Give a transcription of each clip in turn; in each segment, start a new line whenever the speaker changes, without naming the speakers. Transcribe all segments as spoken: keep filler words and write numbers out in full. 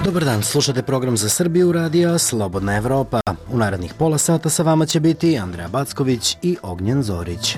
Dobar dan, slušate program za Srbiju radija Slobodna Evropa. U narednih pola sata sa vama će biti Andreja Backović i Ognjen Zorić.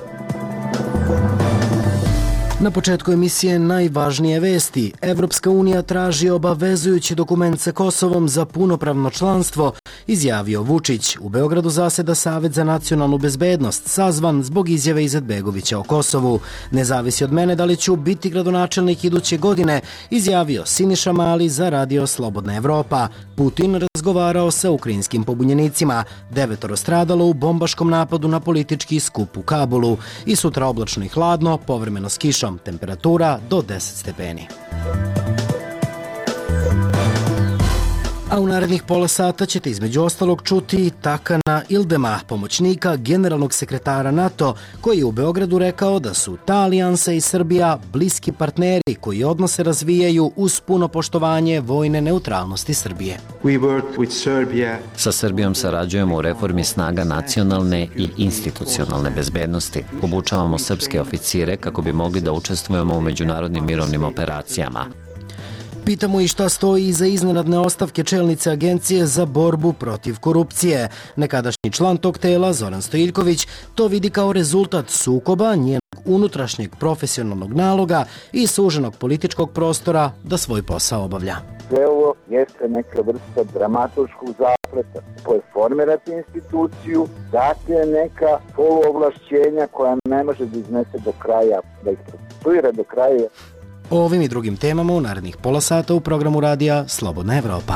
Na početku emisije najvažnije vesti. Evropska unija traži obavezujući dokument sa Kosovom za punopravno članstvo, izjavio Vučić. U Beogradu zaseda Savet za nacionalnu bezbednost, sazvan zbog izjave Izetbegovića o Kosovu. Ne zavisi od mene da li ću biti gradonačelnik iduće godine, izjavio Siniša Mali za radio Slobodna Evropa. Putin razgovarao sa ukrajinskim pobunjenicima. Devetoro stradalo u bombaškom napadu na politički skup u Kabulu. I sutra oblačno i hladno, povremeno s kišom. Temperatura do deset stepeni. A u narednih pola sata ćete između ostalog čuti Takana Ildema, pomoćnika generalnog sekretara NATO, koji je u Beogradu rekao da su ta alijansa i Srbija bliski partneri koji odnose razvijaju uz puno poštovanje vojne neutralnosti Srbije.
Sa Srbijom sarađujemo u reformi snaga nacionalne i institucionalne bezbednosti. Obučavamo srpske oficire kako bi mogli da učestvujemo u međunarodnim mirovnim operacijama.
Pitamo i šta stoji iza iznenadne ostavke čelnice Agencije za borbu protiv korupcije. Nekadašnji član tog tela, Zoran Stojiljković, to vidi kao rezultat sukoba njenog unutrašnjeg profesionalnog naloga i suženog političkog prostora da svoj posao obavlja.
Sve ovo jeste neka vrsta dramaturškog zapleta koje formirate instituciju, date neka poluovlašćenja koja ne može da iznese do kraja, da ih procesuira do kraja.
O ovim i drugim temama u narednih pola sata u programu radija Slobodna Evropa.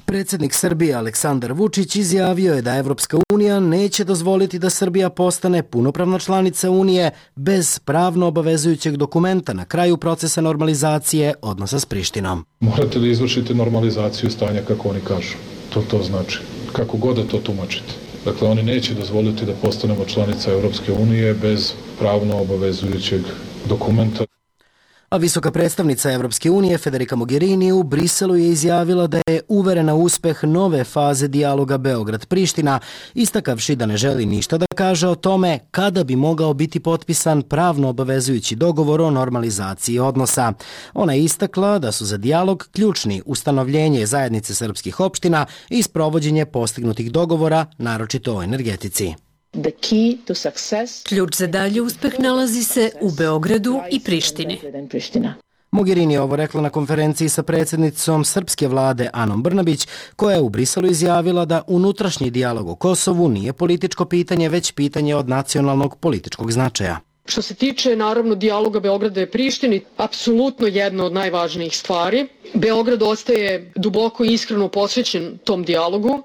Predsjednik Srbije Aleksandar Vučić izjavio je da Evropska unija neće dozvoliti da Srbija postane punopravna članica Unije bez pravno obavezujućeg dokumenta na kraju procesa normalizacije odnosa s Prištinom.
Morate da izvršite normalizaciju stanja kako oni kažu. To to znači. Kako god da to tumačite. Dakle, oni neće dozvoliti da postanemo članica Evropske unije bez pravno obavezujućeg dokumenta.
A visoka predstavnica Evropske unije Federica Mogherini u Briselu je izjavila da je uverena u uspeh nove faze dijaloga Beograd-Priština, istakavši da ne želi ništa da kaže o tome kada bi mogao biti potpisan pravno obavezujući dogovor o normalizaciji odnosa. Ona je istakla da su za dijalog ključni ustanovljenje zajednice srpskih opština i sprovođenje postignutih dogovora, naročito o energetici.
Ključ za dalje uspeh nalazi se u Beogradu i Prištini.
Mogherini je ovo rekla na konferenciji sa predsjednicom srpske vlade Anom Brnabić, koja je u Briselu izjavila da unutrašnji dijalog o Kosovu nije političko pitanje, već pitanje od nacionalnog političkog značaja.
Što se tiče, naravno, dijaloga Beograda i Prištini, apsolutno jedna od najvažnijih stvari. Beograd ostaje duboko i iskreno posvećen tom dijalogu.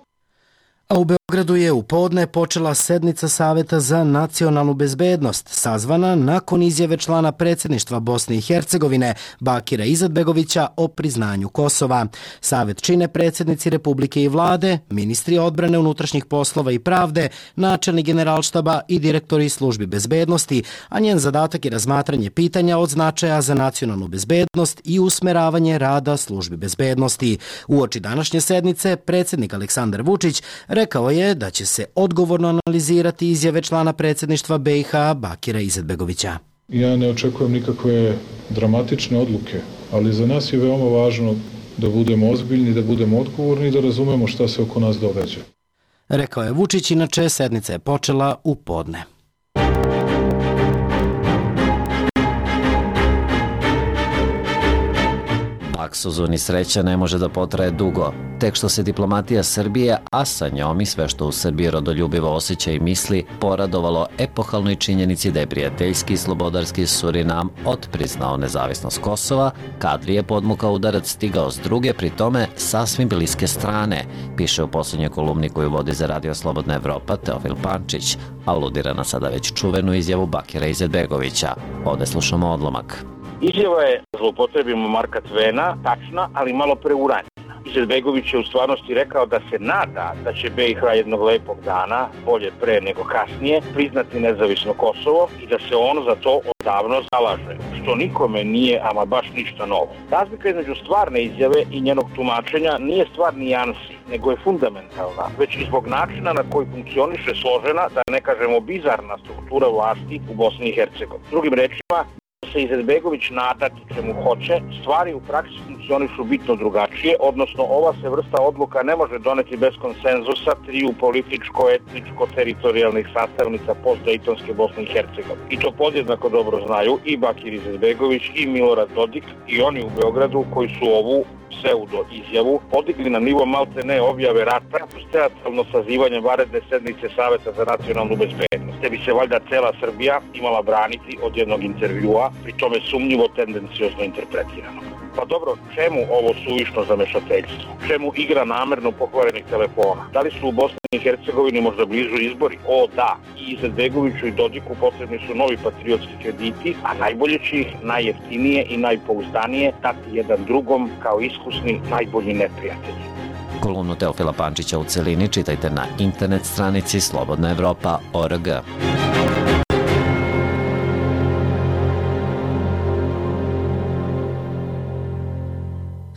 A u Beogradu je u podne počela sednica Saveta za nacionalnu bezbednost, sazvana nakon izjave člana predsjedništva Bosne i Hercegovine Bakira Izetbegovića o priznanju Kosova. Savet čine predsjednici Republike i vlade, ministri odbrane, unutrašnjih poslova i pravde, načelnik generalštaba i direktori službi bezbednosti, a njen zadatak je razmatranje pitanja od značaja za nacionalnu bezbednost i usmeravanje rada službi bezbednosti. Uoči današnje sednice predsjednik Aleksandar Vučić rekao je da će se odgovorno analizirati izjave člana predsjedništva B i H Bakira Izetbegovića.
Ja ne očekujem nikakve dramatične odluke, ali za nas je veoma važno da budemo ozbiljni, da budemo odgovorni i da razumemo šta se oko nas događa.
Rekao je Vučić, inače sednica je počela u podne.
Luksuzun i sreća ne može da potraje dugo. Tek što se diplomatija Srbije, a sa njom i sve što u Srbiji rodoljubivo osjeća i misli, poradovalo epohalnoj činjenici da je prijateljski i slobodarski Surinam otpriznao nezavisnost Kosova, kadri je podmukao udarac stigao s druge, pri tome sasvim bliske strane, piše u posljednjoj kolumni koju vodi za radio Slobodna Evropa Teofil Pančić, aludira na sada već čuvenu izjavu Bakira Izetbegovića. Ovde slušamo odlomak.
Izjava je, zloupotrebimo Marka Tvena, tačna, ali malo preuranjena. Izetbegović je u stvarnosti rekao da se nada da će B i H jednog lepog dana, bolje pre nego kasnije, priznati nezavisno Kosovo i da se on za to odavno zalaže, što nikome nije ama baš ništa novo. Razlika između stvarne izjave i njenog tumačenja nije stvar nijansi, nego je fundamentalna, već i zbog načina na koji funkcioniše složena, da ne kažemo bizarna struktura vlasti u Bosni i Hercegovini. Drugim rečima, se Izetbegović nadati čemu hoće, stvari u praksi funkcionišu bitno drugačije, odnosno ova se vrsta odluka ne može doneti bez konsenzusa triju političko, etničko, teritorijalnih sastavnica postdejtonske Bosne i Hercegovine. I to podjednako dobro znaju i Bakir Izetbegović i Milorad Dodik i oni u Beogradu koji su ovu pseudo izjavu podigli na nivo malte ne objave rata uz teatralno sazivanje vanredne sednice Saveta za nacionalnu bezbednost, te bi se valjda cela Srbija imala braniti od jednog intervjua, pri tome sumnjivo tendenciozno interpretirano. Pa dobro, čemu ovo suvišno zamešateljstvo? Čemu igra namerno pokvarenih telefona? Da li su u Bosni i Hercegovini možda blizu izbori? O da, i Izetbegoviću i Dodiku potrebni su novi patriotski krediti, a najbolje će ih najjeftinije i najpouzdanije dati jedan drugom kao iskusni najbolji neprijatelji.
Kolumnu Teofila Pančića u celini čitajte na internet stranici slobodna evropa tačka org.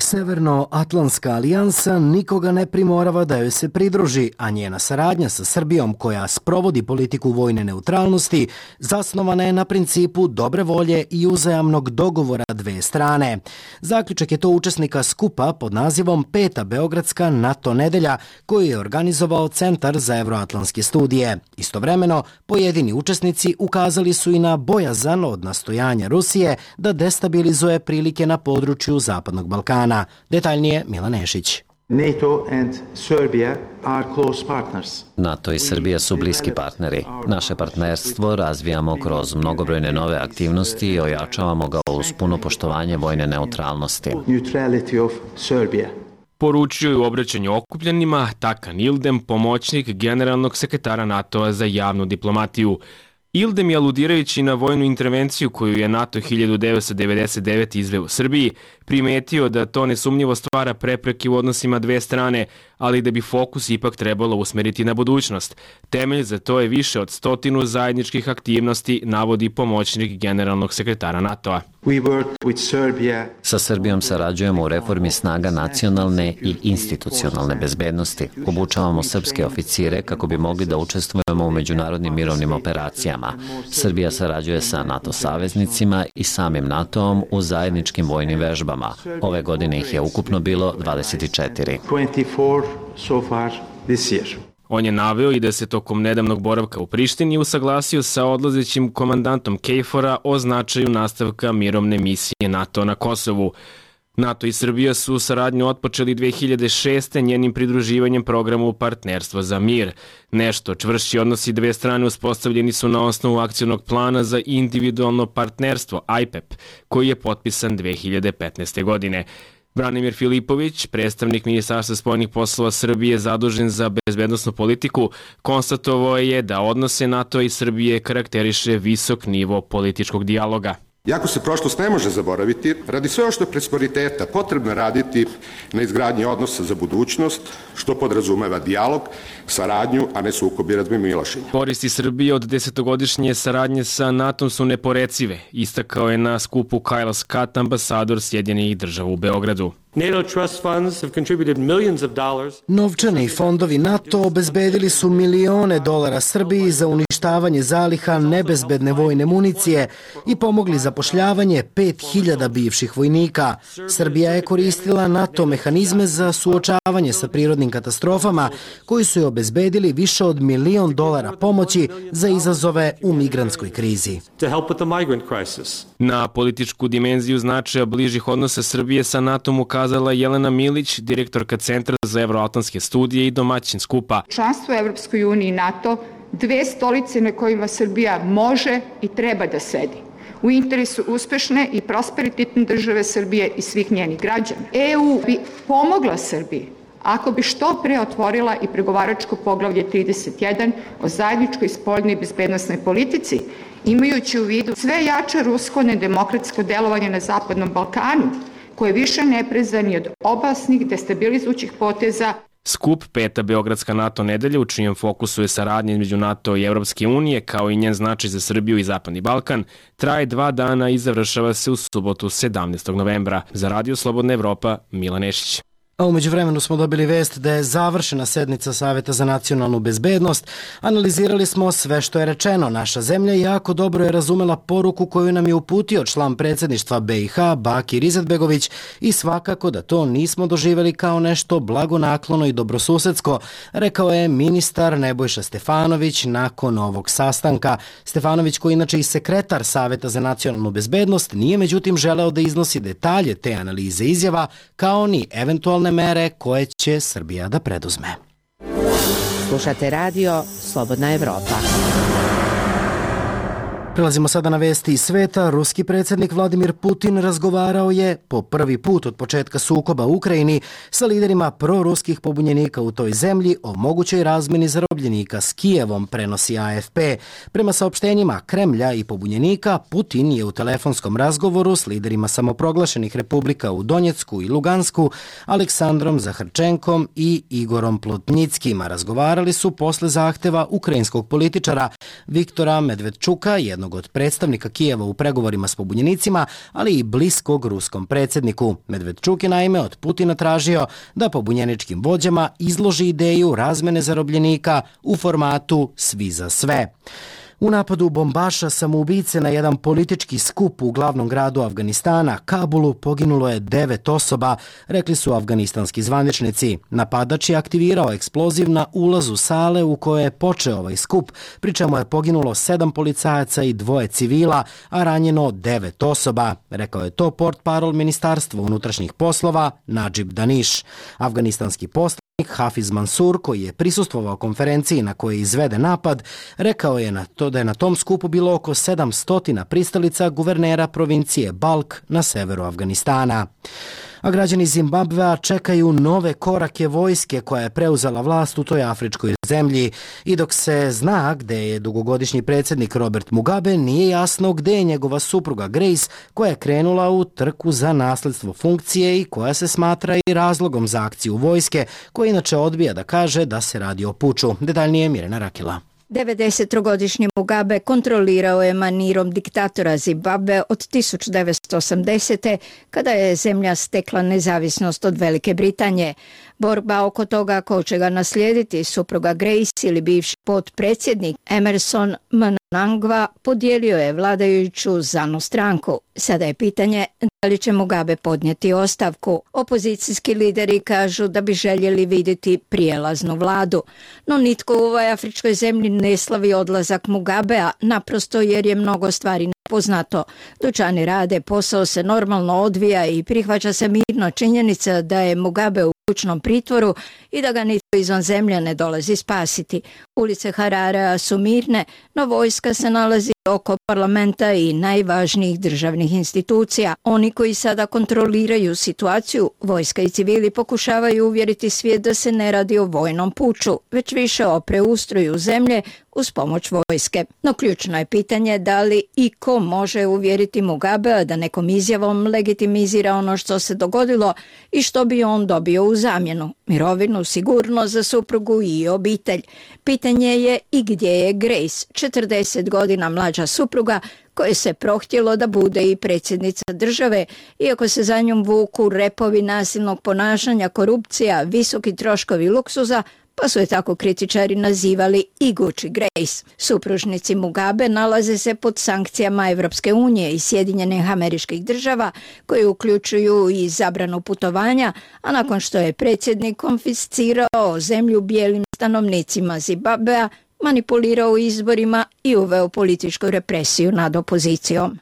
Severnoatlantska alijansa nikoga ne primorava da joj se pridruži, a njena saradnja sa Srbijom, koja sprovodi politiku vojne neutralnosti, zasnovana je na principu dobre volje i uzajamnog dogovora dve strane. Zaključak je to učesnika skupa pod nazivom Peta Beogradska NATO nedelja, koju je organizovao Centar za evroatlantske studije. Istovremeno, pojedini učesnici ukazali su i na bojazan od nastojanja Rusije da destabilizuje prilike na području Zapadnog Balkana. Detaljnije Milan Nešić.
NATO and Serbia are close partners.
NATO i Srbija su bliski partneri. Naše partnerstvo razvijamo kroz mnogobrojne nove aktivnosti i ojačavamo ga uz puno poštovanje vojne neutralnosti.
Neutrality of Serbia.
Poručio je u obraćanju okupljenima Takan Ildem, pomoćnik generalnog sekretara NATO-a za javnu diplomatiju. Ildem je, aludirajući na vojnu intervenciju koju je NATO hiljadu devetsto devedeset devete izveo u Srbiji, primetio da to nesumnjivo stvara prepreke u odnosima dve strane, ali da bi fokus ipak trebalo usmeriti na budućnost. Temelj za to je više od stotinu zajedničkih aktivnosti, navodi pomoćnik generalnog sekretara NATO-a.
We work with Serbia.
Sa Srbijom sarađujemo u reformi snaga nacionalne i institucionalne bezbednosti. Obučavamo srpske oficire kako bi mogli da učestvujemo u međunarodnim mirovnim operacijama. Srbija sarađuje sa NATO saveznicima i samim NATO-om u zajedničkim vojnim vežbama. Ove godine ih je ukupno bilo dvadeset četiri.
twenty-four so far this year.
On je naveo i da se tokom nedavnog boravka u Prištini usaglasio sa odlazećim komandantom KFOR-a o značaju nastavka mirovne misije NATO na Kosovu. NATO i Srbija su saradnju otpočeli dve hiljade šeste. njenim pridruživanjem programu Partnerstvo za mir. Nešto čvršći odnosi dve strane uspostavljeni su na osnovu akcionog plana za individualno partnerstvo I P E P, koji je potpisan dve hiljade petnaeste. godine. Branimir Filipović, predstavnik Ministarstva spoljnih poslova Srbije zadužen za bezbednosnu politiku, konstatovao je da odnose NATO i Srbije karakteriše visok nivo političkog dijaloga.
Iako se prošlost ne može zaboraviti, radi sve što je prosperiteta potrebno raditi na izgradnji odnosa za budućnost, što podrazumeva dijalog, saradnju, a ne sukob i razmimoilaženje.
Koristi Srbije od desetogodišnje saradnje sa NATO su neporecive, istakao je na skupu Kyle Scott, ambasador Sjedinjenih Država u Beogradu.
NATO trust funds have contributed millions of dollars.
Novčani fondovi NATO obezbedili su milione dolara Srbiji za uništavanje zaliha nebezbedne vojne municije i pomogli zapošljavanje pet hiljada bivših vojnika. Srbija je koristila NATO mehanizme za suočavanje sa prirodnim katastrofama koji su je obezbedili više od milion dolara pomoći za izazove u migrantskoj krizi.
To help with the migrant crisis.
Na političku dimenziju značaja bližih odnosa Srbije sa NATO-om ukazala Jelena Milić, direktorka Centra za evroatlantske studije i domaćin skupa.
Članstvo u Evropskoj uniji i NATO, dve stolice na kojima Srbija može i treba da sedi. U interesu uspešne i prosperitetne države Srbije i svih njenih građana. E U bi pomogla Srbiji ako bi što pre otvorila i pregovaračko poglavlje trideset jedan o zajedničkoj spoljnoj i bezbednosnoj politici, imajući u vidu sve jače rusko nedemokratsko delovanje na Zapadnom Balkanu, koje više ne prezani od opasnih destabilizujućih poteza.
Skup Peta Beogradska NATO nedelja, u čijem fokusu je saradnja između NATO i Evropske unije, kao i njen značaj za Srbiju i Zapadni Balkan, traje dva dana i završava se u subotu sedamnaestog novembra. Za Radio Slobodna Evropa, Milan Nešić.
A umeđu vremenu smo dobili vest da je završena sednica Saveta za nacionalnu bezbednost. Analizirali smo sve što je rečeno. Naša zemlja jako dobro je razumela poruku koju nam je uputio član predsjedništva B i H Bakir Izetbegović i svakako da to nismo doživjeli kao nešto blagonaklono i dobrosusedsko, rekao je ministar Nebojša Stefanović nakon ovog sastanka. Stefanović, koji inače i sekretar Saveta za nacionalnu bezbednost, nije međutim želeo da iznosi detalje te analize izjava, kao ni eventualne mere koje će Srbija da preduzme.
Slušate radio Slobodna Evropa.
Prelazimo sada na vesti iz sveta. Ruski predsjednik Vladimir Putin razgovarao je po prvi put od početka sukoba u Ukrajini sa liderima proruskih pobunjenika u toj zemlji o mogućoj razmjeni zarobljenika s Kijevom, prenosi A F P. Prema saopštenjima Kremlja i pobunjenika, Putin je u telefonskom razgovoru s liderima samoproglašenih republika u Donjecku i Lugansku, Aleksandrom Zaharčenkom i Igorom Plotnickim. Razgovarali su posle zahteva ukrajinskog političara Viktora Medvedčuka, jednog od predstavnika Kijeva u pregovorima s pobunjenicima, ali i bliskog ruskom predsjedniku. Medvedčuk je naime od Putina tražio da pobunjeničkim vođama izloži ideju razmene zarobljenika u formatu svi za sve. U napadu bombaša samoubice na jedan politički skup u glavnom gradu Afganistana, Kabulu, poginulo je devet osoba, rekli su afganistanski zvaničnici. Napadač je aktivirao eksploziv na ulazu sale u kojoj je počeo ovaj skup, pri čemu je poginulo sedam policajaca i dvoje civila, a ranjeno devet osoba, rekao je to portparol Ministarstva unutrašnjih poslova Nadžib Daniš. Afganistanski poslanik Hafiz Mansur, koji je prisustvovao konferenciji na kojoj je izveden napad, rekao je na to da je na tom skupu bilo oko sedamsto pristalica guvernera provincije Balk na severu Afganistana. A građani Zimbabvea čekaju nove korake vojske koja je preuzela vlast u toj afričkoj zemlji. I dok se zna gde je dugogodišnji predsjednik Robert Mugabe, nije jasno gde je njegova supruga Grace, koja je krenula u trku za nasledstvo funkcije i koja se smatra i razlogom za akciju vojske, koja inače odbija da kaže da se radi o puču. Detaljnije Mirjana Rakila.
devedesettrogodišnji Mugabe kontrolirao je manirom diktatora Zimbabve od tisuću devetsto osamdesete. kada je zemlja stekla nezavisnost od Velike Britanije. Borba oko toga ko će ga naslijediti, supruga Grace ili bivši potpredsjednik Emerson Mnangagwa, podijelio je vladajuću ZANU stranku. Sada je pitanje da li će Mugabe podnijeti ostavku. Opozicijski lideri kažu da bi željeli vidjeti prijelaznu vladu. No nitko u ovoj afričkoj zemlji ne slavi odlazak Mugabea, naprosto jer je mnogo stvari poznato. Dućani rade, posao se normalno odvija i prihvaća se mirno činjenica da je Mugabe u kućnom pritvoru i da ga nitko izvan zemlje ne dolazi spasiti. Ulice Hararea su mirne, no vojska se nalazi oko parlamenta i najvažnijih državnih institucija. Oni koji sada kontroliraju situaciju, vojska i civili, pokušavaju uvjeriti svijet da se ne radi o vojnom puču, već više o preustroju zemlje uz pomoć vojske. No ključno je pitanje da li i ko može uvjeriti Mugabea da nekom izjavom legitimizira ono što se dogodilo i što bi on dobio u zamjenu. Mirovinu, sigurnost za suprugu i obitelj. Pitanje je i gdje je Grace, četrdeset godina mlađa supruga, koje se prohtjelo da bude i predsjednica države, iako se za njom vuku repovi nasilnog ponašanja, korupcija, visoki troškovi luksuza, pa su je tako kritičari nazivali i Gucci Grace. Supružnici Mugabe nalaze se pod sankcijama Evropske unije i Sjedinjenih Američkih Država, koje uključuju i zabranu putovanja, a nakon što je predsjednik konfiscirao zemlju bijelim stanovnicima Zimbabvea, manipulirao izborima i uveo političku represiju nad opozicijom.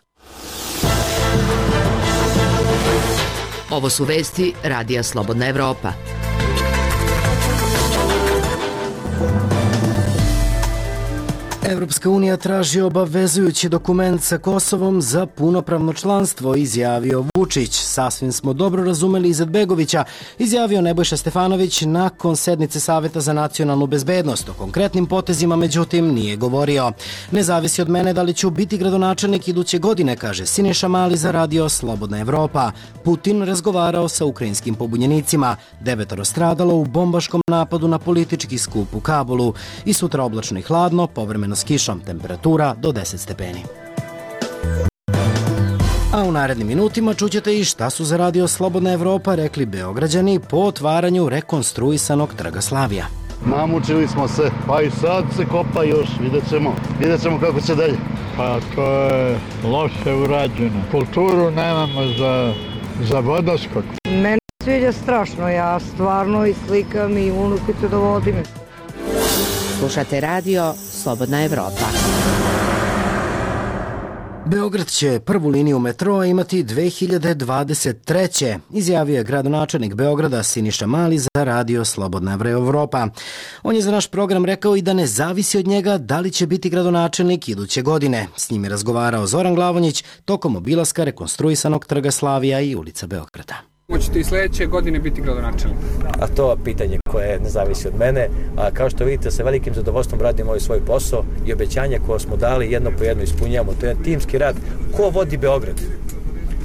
Ovo su vesti Radija Slobodna Evropa.
Evropska unija traži obavezujući dokument sa Kosovom za punopravno članstvo, izjavio Vučić. Sasvim smo dobro razumeli Izetbegovića, izjavio Nebojša Stefanović nakon sednice Saveta za nacionalnu bezbednost. O konkretnim potezima, međutim, nije govorio. Ne zavisi od mene da li ću biti gradonačelnik iduće godine, kaže Siniša Mali za radio Slobodna Evropa. Putin razgovarao sa ukrajinskim pobunjenicima. Devetoro stradalo u bombaškom napadu na politički skup u Kabulu. I sutra oblačno i hladno, povremeno s kišom, temperatura do deset stepeni. A u narednim minutima čućete i šta su za Radio Slobodna Evropa rekli Beograđani po otvaranju rekonstruisanog Trga Slavija.
Namučili smo se, pa i sad se kopa još, vidjet ćemo, vidjet ćemo kako će dalje.
Pa to je loše urađeno. Kulturu nemamo za, za vodoskok.
Meni se sviđa strašno, ja stvarno i slikam i unukicu dovodim.
Slušate radio Slobodna Evropa.
Beograd će prvu liniju metroa imati dve hiljade dvadeset treće izjavio je gradonačelnik Beograda Siniša Mali za Radio Slobodna Evropa. On je za naš program rekao i da ne zavisi od njega da li će biti gradonačelnik iduće godine. S njim je razgovarao Zoran Glavonjić tokom obilaska rekonstruisanog Trga Slavija i ulica Beograda.
Hoćete i sledeće godine biti gradonačelnik?
A to je pitanje koje ne zavisi od mene. A kao što vidite, sa velikim zadovoljstvom radimo ovaj svoj posao i obećanja koje smo dali jedno po jedno ispunjavamo. To je timski rad. Ko vodi Beograd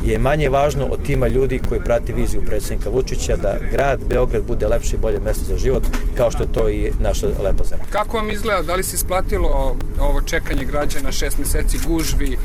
je manje važno od tima ljudi koji prati viziju predsjednika Vučića da grad Beograd bude lepše i bolje mesto za život, kao što je to i naša lepa zemlja.
Kako vam izgleda? Da li se isplatilo ovo čekanje građana, šest meseci gužvi,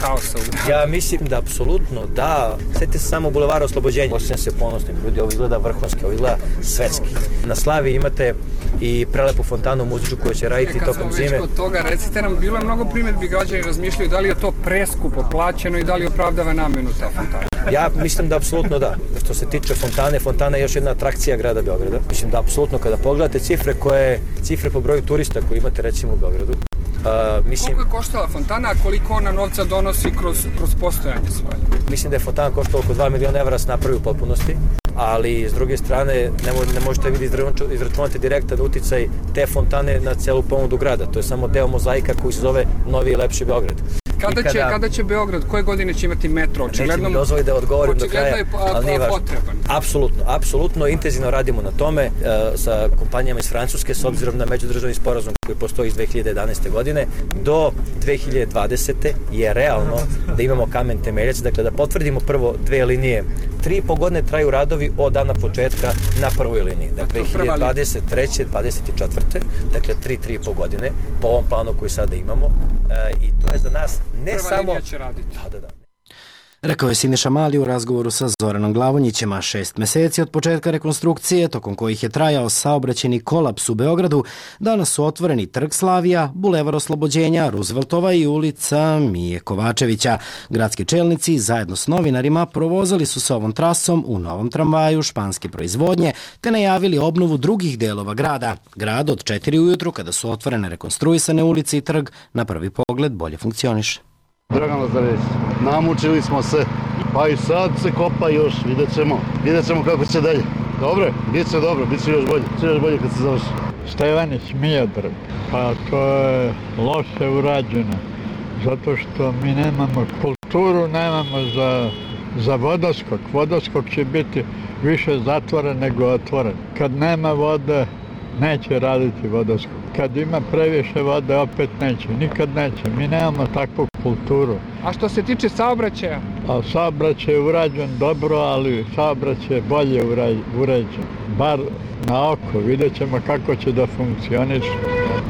haosa u gradu?
Ja mislim da apsolutno da. Sjetite se samo Bulevara Oslobođenja. Osjećam se ponosnim. Ljudi, ovo izgleda vrhunski, ovo izgleda svetski. Na Slavi imate i prelepu fontanu muzičku koju će raditi tokom zime.
Kad smo već kod toga, recite nam, bilo je mnogo primjedbi, građani razmišljaju da li je to preskupo plaćeno i da li opravdava namenu ta fontana.
Ja mislim da apsolutno da. Što se tiče fontane, fontana je još jedna atrakcija grada Beograda. Mislim da apsolutno kada pogledate cifre koje, cifre po broju turista koje imate recimo u Beogradu, Uh, mislim,
koliko je koštala fontana, a koliko ona novca donosi kroz, kroz postojanje svoje?
Mislim da je fontana koštala oko dva miliona evra s napravi u potpunosti, ali s druge strane ne, mo, ne možete vidjeti izračunati direktan uticaj te fontane na celu ponudu grada. To je samo deo mozaika koji se zove Novi i lepši Beograd.
Kada, kada, će, kada će Beograd, koje godine će imati metro?
Očigledno, neće mi dozvoli da odgovorim do kraja,
je,
ali nije važno.
Potreban.
Apsolutno, apsolutno, intenzivno radimo na tome e, sa kompanijama iz Francuske s obzirom na međudržavni sporazum koji postoji iz dve hiljade jedanaeste. godine. Do dve hiljade dvadesete. je realno da imamo kamen temeljac, dakle da potvrdimo prvo dve linije. Tri i po godine traju radovi od dana početka na prvoj liniji. Dakle, dve hiljade dvadeset treće. dvadeset četvrte. Dakle, tri, tri i po godine po ovom planu koji sada imamo e, i to je za nas ne
Prva
samo...
linija će raditi.
Da, da, da.
Rekao je Siniša Mali u razgovoru sa Zoranom Glavonjićem, a šest meseci od početka rekonstrukcije, tokom kojih je trajao saobraćajni kolaps u Beogradu, danas su otvoreni Trg Slavija, Bulevar Oslobođenja, Rooseveltova i ulica Mije Kovačevića. Gradski čelnici zajedno s novinarima provozali su se ovom trasom u novom tramvaju španske proizvodnje, te najavili obnovu drugih delova grada. Grad od četiri ujutru, kada su otvorene rekonstruisane ulice i trg, na prvi pogled bolje funkcioniše.
Dragan Lazarević, namučili smo se, pa i sad se kopa još, vidjet ćemo, vidjet ćemo kako će dalje. Dobre, bit će dobro, bit će još bolje, bit će još bolje kad se završi.
Stevanić Miodrag, pa to je loše urađeno, zato što mi nemamo kulturu, nemamo za, za vodoskok. Vodoskok će biti više zatvoren nego otvoren. Kad nema vode, neće raditi vodoskok. Kad ima previše vode, opet neće. Nikad neće. Mi nemamo takvu kulturu.
A što se tiče saobraćaja?
A saobraćaj je urađen dobro, ali saobraćaj je bolje uređen. Bar na oko. Vidjet ćemo kako će da funkcioniš.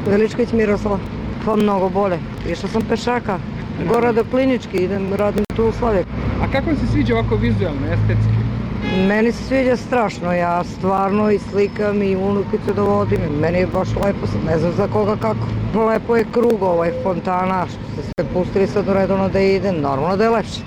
Veličković Miroslava. Pa mnogo bolje. Išla sam pešaka. Gora do Klinički, idem, radim tu u Slavek.
A kako vam se sviđa ovako vizualno, estetski?
Meni se sviđa strašno, ja stvarno i slikam i unukicu dovodim, meni je baš lepo, sad ne znam za koga kako. Lepo je krug ovaj fontana, što se sve pustili sad redovno da ide, normalno da je lepše.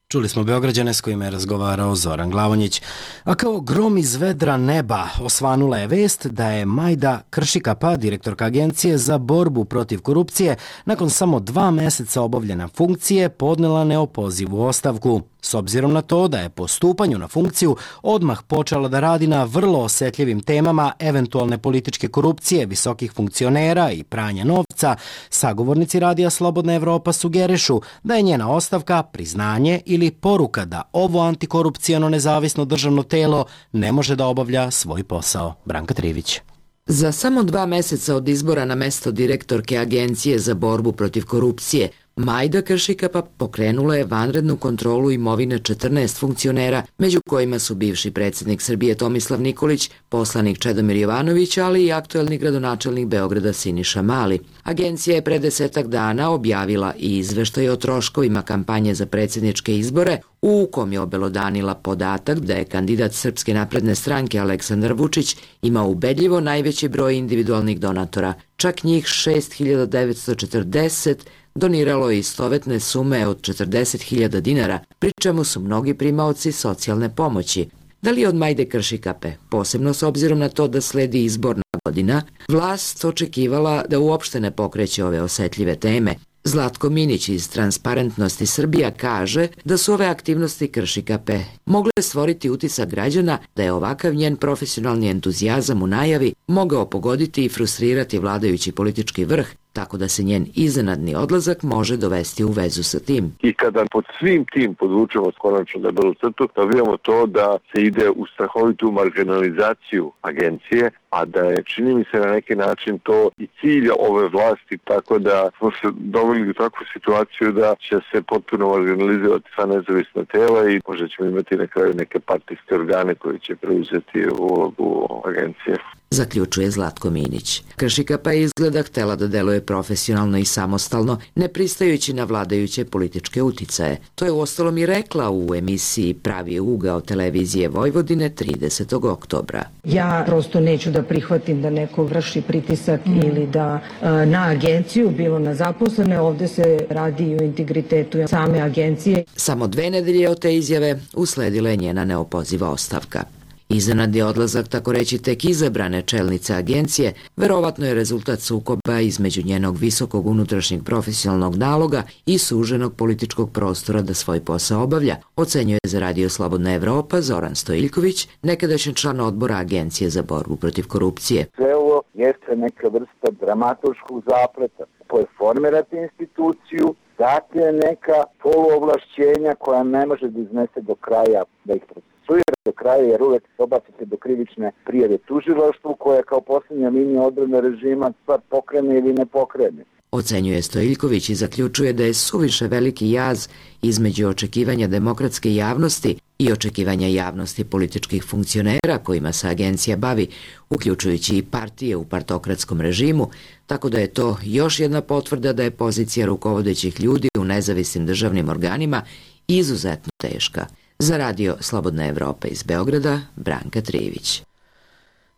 Čuli smo Beograđane s kojima je razgovarao Zoran Glavonjić. A kao grom iz vedra neba osvanula je vest da je Majda Kršikapa, direktorka Agencije za borbu protiv korupcije, nakon samo dva meseca obavljena funkcije podnela neopozivu ostavku. S obzirom na to da je po stupanju na funkciju odmah počela da radi na vrlo osetljivim temama eventualne političke korupcije, visokih funkcionera i pranja novca, sagovornici Radija Slobodna Evropa sugerišu da je njena ostavka priznanje ili poruka da ovo antikorupcijano nezavisno državno telo ne može da obavlja svoj posao. Branka Trivić.
Za samo dva meseca od izbora na mesto direktorke Agencije za borbu protiv korupcije, Majda Kršikapa pokrenula je vanrednu kontrolu imovine četrnaest funkcionera, među kojima su bivši predsjednik Srbije Tomislav Nikolić, poslanik Čedomir Jovanović, ali i aktuelni gradonačelnik Beograda Siniša Mali. Agencija je pre desetak dana objavila i izveštaj o troškovima kampanje za predsjedničke izbore, u kom je obelodanila podatak da je kandidat Srpske napredne stranke Aleksandar Vučić imao ubedljivo najveći broj individualnih donatora, čak njih šest hiljada devetsto četrdeset, doniralo je istovetne sume od četrdeset hiljada dinara, pri čemu su mnogi primaoci socijalne pomoći. Da li je od Majde Kršikape, posebno s obzirom na to da sledi izborna godina, vlast očekivala da uopšte ne pokreće ove osetljive teme? Zlatko Minić iz Transparentnosti Srbija kaže da su ove aktivnosti Kršikape mogle stvoriti utisak građana da je ovakav njen profesionalni entuzijazam u najavi mogao pogoditi i frustrirati vladajući politički vrh, tako da se njen iznenadni odlazak može dovesti u vezu sa tim.
I kada pod svim tim podvučemo konačno debelu crtu, dobijamo to da se ide u strahovitu marginalizaciju agencije, a da je, čini mi se, na neki način to i cilj ove vlasti, tako da smo se doveli u takvu situaciju da će se potpuno marginalizovati sva nezavisna tela i možda ćemo imati na kraju neke partijske organe koji će preuzeti ulogu agencije.
Zaključuje Zlatko Minić. Kršikapa je izgleda htela da deluje profesionalno i samostalno, ne pristajući na vladajuće političke uticaje. To je uostalom i rekla u emisiji Pravi ugao televizije Vojvodine tridesetog oktobra.
Ja prosto neću da prihvatim da neko vrši pritisak mm. ili da e, na agenciju, bilo na zaposlene, ovde se radi i o integritetu same agencije.
Samo dve nedelje od te izjave usledila je njena neopoziva ostavka. Iznenadni odlazak, tako reći, tek izabrane čelnice agencije, verovatno je rezultat sukoba između njenog visokog unutrašnjeg profesionalnog naloga i suženog političkog prostora da svoj posao obavlja, ocenjuje za Radio Slobodna Evropa Zoran Stojiljković, nekadašnji član odbora Agencije za borbu protiv korupcije.
Sve ovo jeste neka vrsta dramaturškog zapleta koje formirate instituciju, date neka poluovlašćenja koja ne može da iznese do kraja, da ih procesuira do kraja, jer uvek dobacite do krivične prijave tužilaštvu koja kao posljednja linija odbrane režima stvar pokrene ili ne pokrene.
Ocenjuje Stojiljković i zaključuje da je suviše veliki jaz između očekivanja demokratske javnosti i očekivanja javnosti političkih funkcionera kojima se agencija bavi, uključujući i partije u partokratskom režimu, tako da je to još jedna potvrda da je pozicija rukovodećih ljudi u nezavisnim državnim organima izuzetno teška. Za Radio Slobodna Evropa iz Beograda, Branka Trijević.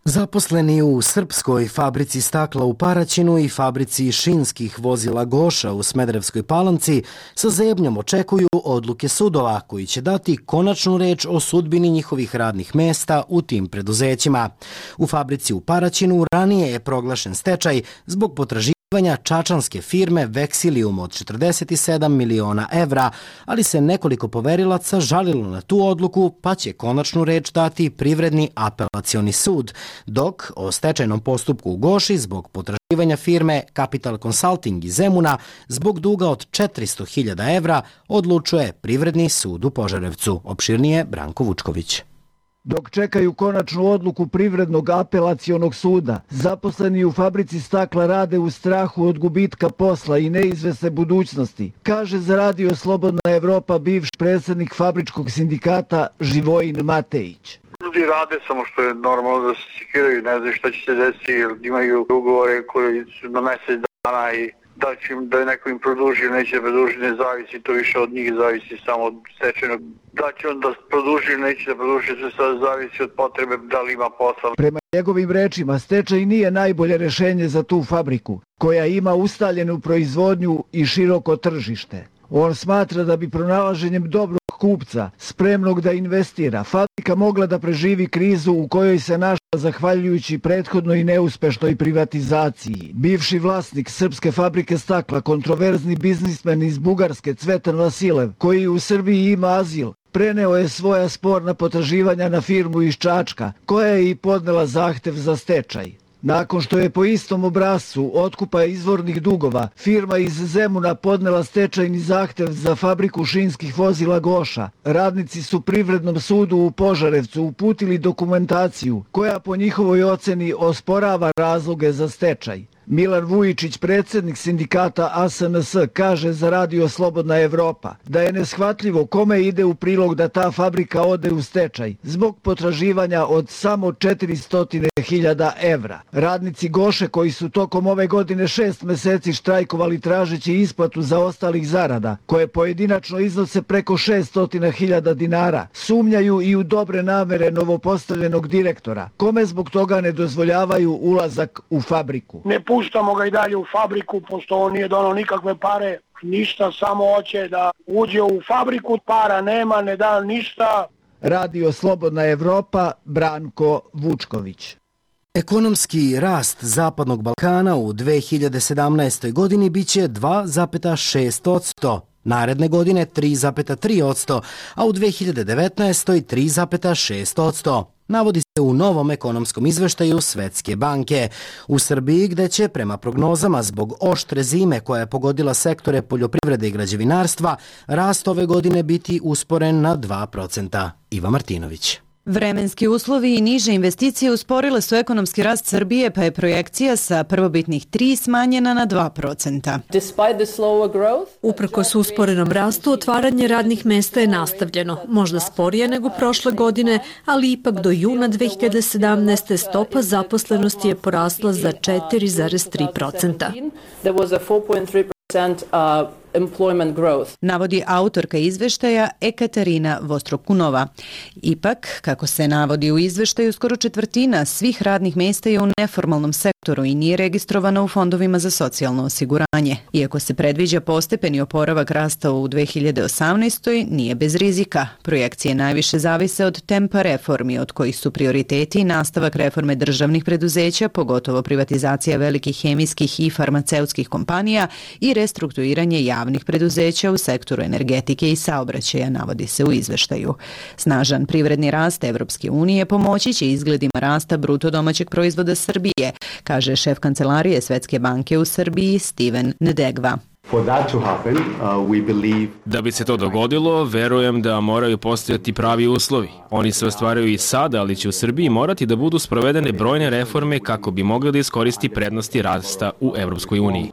Zaposleni u srpskoj fabrici stakla u Paraćinu i fabrici šinskih vozila Goša u Smederevskoj Palanci sa zebnjom očekuju odluke sudova koji će dati konačnu reč o sudbini njihovih radnih mesta u tim preduzećima. U fabrici u Paraćinu ranije je proglašen stečaj zbog potraživanja čačanske firme Veksilium od četrdeset sedam miliona evra, ali se nekoliko poverilaca žalilo na tu odluku, pa će konačnu reč dati Privredni apelacioni sud, dok o stečajnom postupku u Goši zbog potraživanja firme Capital Consulting iz Zemuna zbog duga od četiristo hiljada evra odlučuje Privredni sud u Požarevcu. Opširnije Branko Vučković.
Dok čekaju konačnu odluku Privrednog apelacionog suda, zaposleni u fabrici stakla rade u strahu od gubitka posla i neizvesne budućnosti, kaže za Radio Slobodna Evropa bivši predsjednik fabričkog sindikata Živojin Matejić.
Ljudi rade samo što je normalno da se sikiraju, ne znaju šta će se desiti, jer imaju ugovore koji su na mesec dana i da će im, da neko im produži ili neće produži, ne zavisi, to više od njih zavisi samo od stečajnog. Da će on da produži ili neće da produži, sve sad zavisi od potrebe da li ima posla.
Prema njegovim rečima, stečaj nije najbolje rešenje za tu fabriku, koja ima ustaljenu proizvodnju i široko tržište. On smatra da bi pronalaženjem dobrog kupca, spremnog da investira, fabrika mogla da preživi krizu u kojoj se našla zahvaljujući prethodnoj i neuspešnoj privatizaciji. Bivši vlasnik srpske fabrike stakla, kontroverzni biznismen iz Bugarske Cvetan Vasilev, koji u Srbiji ima azil, preneo je svoja sporna potraživanja na firmu iz Čačka, koja je i podnela zahtev za stečaj. Nakon što je po istom obrascu otkupa izvornih dugova, firma iz Zemuna podnela stečajni zahtev za fabriku šinskih vozila Goša, radnici su Privrednom sudu u Požarevcu uputili dokumentaciju koja po njihovoj oceni osporava razloge za stečaj. Milan Vujičić, predsjednik sindikata A S N S, kaže za Radio Slobodna Evropa da je neshvatljivo kome ide u prilog da ta fabrika ode u stečaj zbog potraživanja od samo četiristo hiljada evra. Radnici Goše, koji su tokom ove godine šest meseci štrajkovali tražeći isplatu za ostalih zarada, koje pojedinačno iznose preko šeststo hiljada dinara, sumnjaju i u dobre namere novopostavljenog direktora, kome zbog toga ne dozvoljavaju ulazak u fabriku.
Ne puštamo ga i dalje u fabriku, pošto on nije donao nikakve pare, ništa, samo hoće da uđe u fabriku, para nema, ne da ništa.
Radio Slobodna Evropa, Branko Vučković.
Ekonomski rast Zapadnog Balkana u dve hiljade sedamnaestoj. godini biće dva zarez šest posto, naredne godine tri zarez tri posto, a u dve hiljade devetnaestoj. tri zarez šest posto. Navodi se u novom ekonomskom izveštaju Svetske banke. U Srbiji, gde će prema prognozama zbog oštre zime koja je pogodila sektore poljoprivrede i građevinarstva, rast ove godine biti usporen na dva procenta. Iva Martinović.
Vremenski uslovi i niže investicije usporile su ekonomski rast Srbije, pa je projekcija sa prvobitnih tri smanjena na dva procenta.
Uprkos usporenom rastu, otvaranje radnih mesta je nastavljeno, možda sporije nego prošle godine, ali ipak do juna dve hiljade sedamnaeste. stopa zaposlenosti je porasla za četiri zarez tri procenta.
Employment growth, navodi autorka izveštaja Ekaterina Vostrokunova. Ipak, kako se navodi u izveštaju, skoro četvrtina svih radnih mesta je u neformalnom sektoru i nije registrovana u fondovima za socijalno osiguranje. Iako se predviđa postepeni oporavak rasta u dve hiljade osamnaestoj. nije bez rizika. Projekcije najviše zavise od tempa reformi, od kojih su prioriteti nastavak reforme državnih preduzeća, pogotovo privatizacija velikih hemijskih i farmaceutskih kompanija i restrukturiranje javnih preduzeća u sektoru energetike i saobraćaja, navodi se u izveštaju. Snažan privredni rast Evropske unije pomoći će izgledima rasta bruto domaćeg proizvoda Srbije, kaže šef kancelarije Svetske banke u Srbiji Steven Nedegva.
Da bi se to dogodilo, verujem da moraju postojati pravi uslovi. Oni se ostvaraju i sada, ali će u Srbiji morati da budu sprovedene brojne reforme kako bi mogli da iskoristi prednosti rasta u Evropskoj uniji.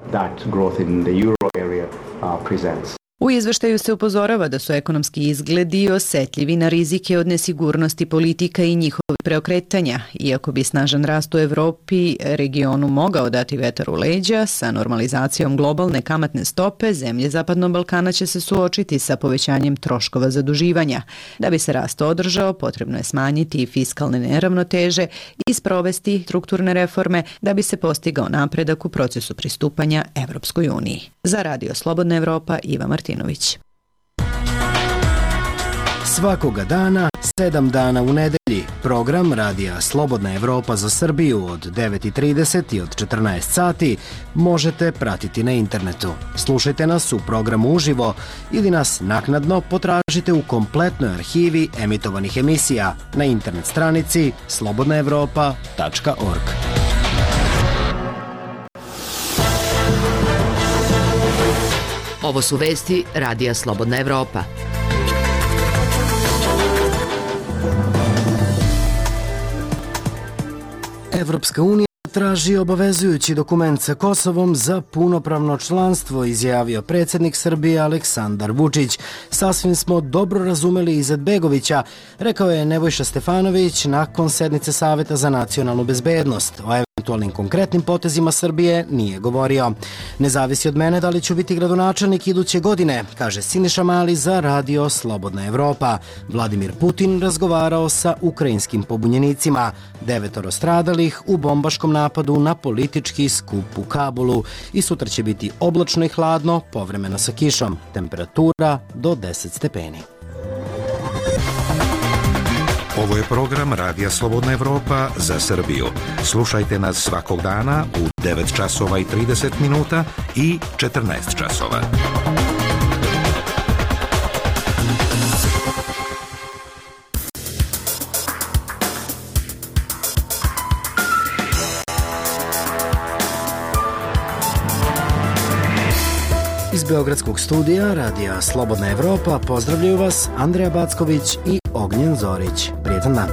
U izveštaju se upozorava da su ekonomski izgledi osetljivi na rizike od nesigurnosti politika i njihovih preokretanja. Iako bi snažan rast u Evropi regionu mogao dati vetar u leđa, sa normalizacijom globalne kamatne stope, zemlje Zapadnog Balkana će se suočiti sa povećanjem troškova zaduživanja. Da bi se rast održao, potrebno je smanjiti fiskalne neravnoteže i sprovesti strukturne reforme da bi se postigao napredak u procesu pristupanja Evropskoj uniji. Za Radio Slobodna Evropa, Iva Martinović.
Svakoga dana, sedam dana u nedelji, program Radija Slobodna Evropa za Srbiju od devet i trideset i od četrnaest sati možete pratiti na internetu. Slušajte nas u programu uživo ili nas naknadno potražite u kompletnoj arhivi emitovanih emisija na internet stranici slobodna evropa tačka org.
Ovo su vesti Radija Slobodna Evropa.
Evropska unija traži obavezujući dokument sa Kosovom za punopravno članstvo, izjavio predsjednik Srbije Aleksandar Vučić. Sasvim smo dobro razumeli Izetbegovića, rekao je Nebojša Stefanović nakon sednice Saveta za nacionalnu bezbednost. O eventualnim konkretnim potezima Srbije nije govorio. Ne zavisi od mene da li ću biti gradonačelnik iduće godine, kaže Siniša Mali za Radio Slobodna Evropa. Vladimir Putin razgovarao sa ukrajinskim pobunjenicima. Devetoro stradalih u bombaškom napadu na politički skup u Kabulu. I sutra će biti oblačno i hladno, povremeno sa kišom. Temperatura do deset stepeni.
Ovo je program Radija Slobodna Evropa za Srbiju. Slušajte nas svakog dana u devet časova i trideset minuta i četrnaest časova.
Iz Beogradskog studija Radija Slobodna Evropa pozdravljaju vas Andreja Backović i Ognjen Zorić. Prijetan dan.